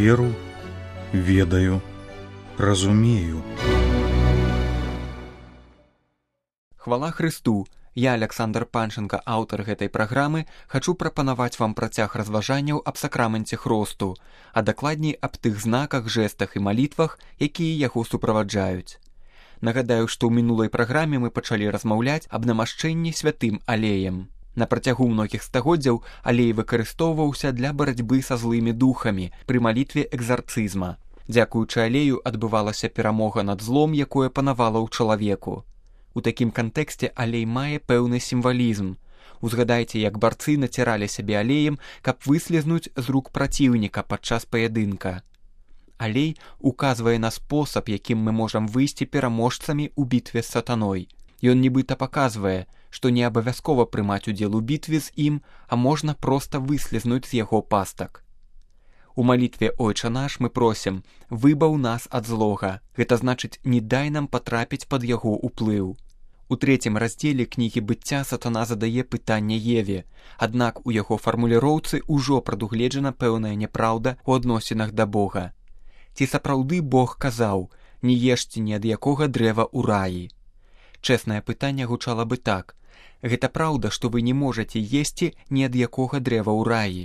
веру, ведаю, разумею. Хвала Хрысту! Я, Александр Панченко, аўтар гэтай праграмы, хачу прапанаваць вам працяг разважанняў аб сакраменце хросту, а дакладней аб тых знаках, жэстах і малітвах, якія яго суправаджаюць. Нагадаю, што ў мінулай праграме мы пачалі размаўляць аб намашчэнні святым алеем. На працягу многіх стагоддзяў алей выкарыстоўваўся для барацьбы са злымі духамі пры малітве экзарцызма. Дзякуючы алею адбывалася перамога над злом, якое панавала ў чалавеку. У такім кантэксце алей мае пэўны сімвалізм. Узгадайце, як барцы націралі сябе алеем, каб выслізнуць з рук праціўніка падчас паядынка. Алей указвае на спосаб, якім мы можам выйсці пераможцамі ў бітве з сатаной. Ён нібыта паказвае, што не абавязкова прымаць удзел у бітве з ім, а можна проста выслізнуць з яго пастак. У малітве «Ойча наш» мы просім «Выбаў нас ад злога». Гэта значыць, не дай нам патрапіць пад яго ўплыў. У 3 раздзеле кнігі «Быцця» сатана задае пытанне Еве, аднак у яго фармуліроўцы ўжо прадугледжана пэўная няпраўда ў адносінах да Бога. Ці сапраўды Бог казаў «Не ешце ні ад якога дрэва ў раі». Чэснае пытанне гучала бы так: гэта праўда, што вы не можаце есці ні ад якога дрэва ў раі?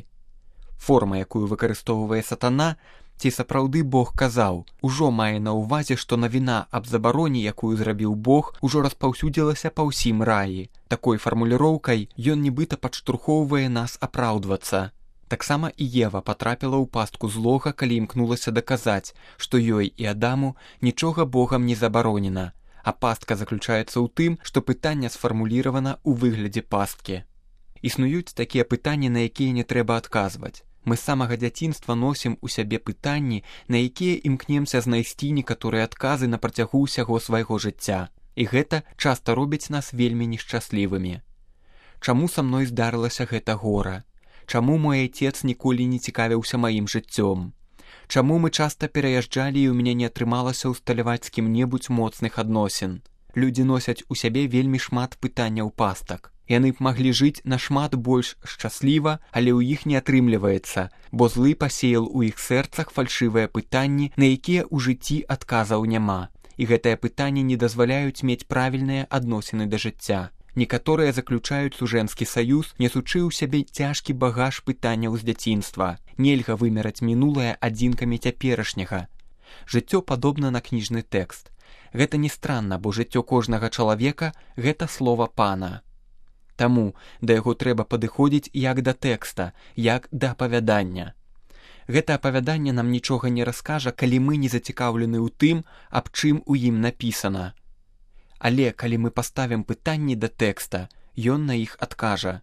Форма, якую выкарыстоўвае сатана, ці сапраўды Бог казаў, ужо мае на ўвазе, што навіна аб забароне, якую зрабіў Бог, ужо распаўсюдзілася па ўсім раі. Такой фармуліроўкай ён нібыта падштурхоўвае нас апраўдвацца. Таксама і Ева патрапіла ў пастку злога, калі імкнулася даказаць, што ёй і Адаму нічога Богам не забаронена, а пастка заключаецца ў тым, што пытанне сфармуліравана ў выглядзе пасткі. Існуюць такія пытанні, на якія не трэба адказваць. Мы з самага дзяцінства носім у сябе пытанні, на якія імкнемся знайсці некаторыя адказы на працягу ўсяго свайго жыцця. І гэта часта робіць нас вельмі нешчаслівымі. Чаму са мной здарылася гэта гора? Чаму мой айцец ніколі не цікавіўся маім жыццём? Чаму мы часта пераязджалі і ў мяне не атрымалася ўсталяваць з кім-небудзь моцных адносін? Людзі носяць у сябе вельмі шмат пытанняў пастак. Яны б маглі жыць нашмат больш шчасліва, але ў іх не атрымліваецца, бо злы пасеял у іх сэрцах фальшывыя пытанні, на якія ў жыцці адказаў няма. І гэтыя пытанні не дазваляюць мець правільныя адносіны да жыцця. Некаторыя заключаюць сужэнскі саюз, несучы ў сябе цяжкі багаж пытанняў з дзяцінства. Нельга вымераць мінулае адзінкамі цяперашняга. Жыццё падобна на кніжны тэкст. Гэта не странна, бо жыццё кожнага чалавека – гэта слова Пана. Таму да яго трэба падыходзіць як да тэкста, як да апавядання. Гэта апавяданне нам нічога не раскажа, калі мы не зацікаўлены ў тым, аб чым у ім напісана. Але калі мы паставім пытанні да тэкста, ён на іх адкажа.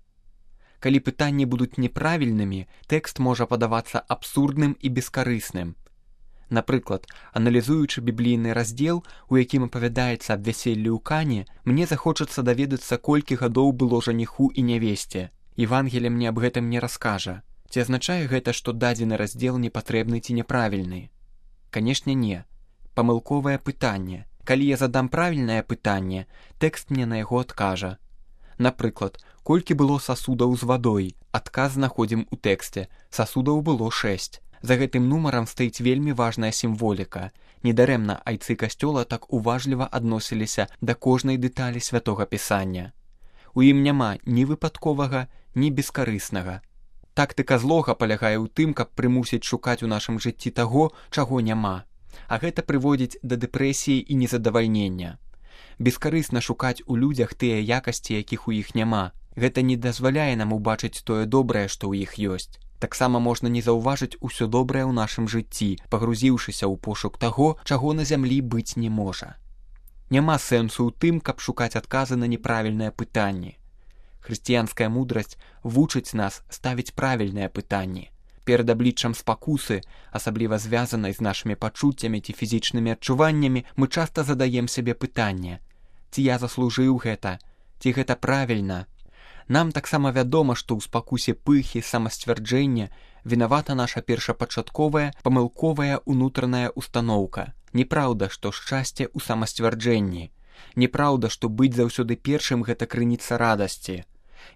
Калі пытанні будуць неправільнымі, тэкст можа падавацца абсурдным і бескарысным. Напрыклад, аналізуючы біблійны раздзел, у якім апавядаецца аб вяселлі ў Кані, мне захочацца даведацца, колькі гадоў было жаніху і нявесце. Евангелие мне аб гэтым не раскажа. Ці азначае гэта, што дадзены раздзел непатрэбны ці няправільны? Канешне, не. Памылковае пытанне. Калі я задам правільнае пытанне, тэкст мне на яго адкажа. Напрыклад, колькі было сасудаў з вадой? Адказ знаходзім у тэксце. Сасудаў было 6. За гэтым нумарам стаіць вельмі важная сімволіка. Недарэмна айцы касцёла так уважліва адносіліся да кожнай дэталі святога пісання. У ім няма ні выпадковага, ні бескарыснага. Тактыка злога палягае ў тым, каб прымусіць шукаць у нашым жыцці таго, чаго няма. А гэта прыводзіць да дэпрэсіі і незадавальнення. Бескарысна шукаць у людзях тыя якасці, якіх у іх няма. Гэта не дазваляе нам убачыць тое добрае, што ў іх ёсць. Таксама можна не заўважыць усё добрае ў нашым жыцці, пагрузіўшыся ў пошук таго, чаго на зямлі быць не можа. Няма сэнсу ў тым, каб шукаць адказы на неправільныя пытанні. Хрысціянская мудрасць вучыць нас ставіць правільныя пытанні. Перад абліччам спакусы, асабліва звязанай з нашымі пачуццямі ці фізічнымі адчуваннямі, мы часта задаем сябе пытанне: ці я заслужыў гэта, ці гэта правільна? Нам таксама вядома, што ў спакусе пыхі, самасцвярджэння вінавата наша першапачатковая, памылковая ўнутраная устаноўка. Неправда, што шчасце ў самасцвярджэнні. Неправда, што быць заўсёды першым – гэта крыніца радасці.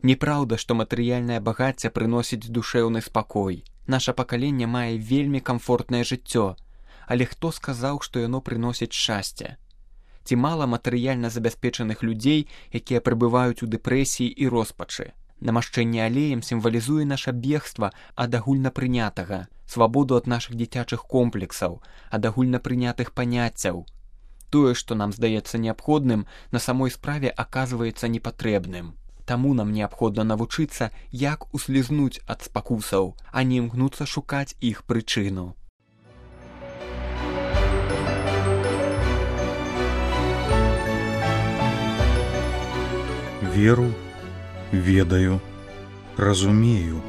Неправда, што матэрыяльнае багацце прыносіць душэўны спакой. Наша пакаленне мае вельмі камфортнае жыццё, але хто сказаў, што яно прыносіць шчасце? Ці мала матэрыяльна забяспечаных людзей, якія пребываюць у дэпрэсіі і роспачы? Намашчэнне алеем сімвалізуе наша бегства ад агульнапрынятага, свабоду ад нашых дзіцячых комплексаў, ад агульнапрынятых паняццяў. Тое, што нам здаецца неабходным, на самой справе аказваецца непатрэбным. Таму нам неабходна навучыцца, як услізнуць ад спакусаў, а не імкнуцца шукаць іх прычыну. Веру, ведаю, разумею.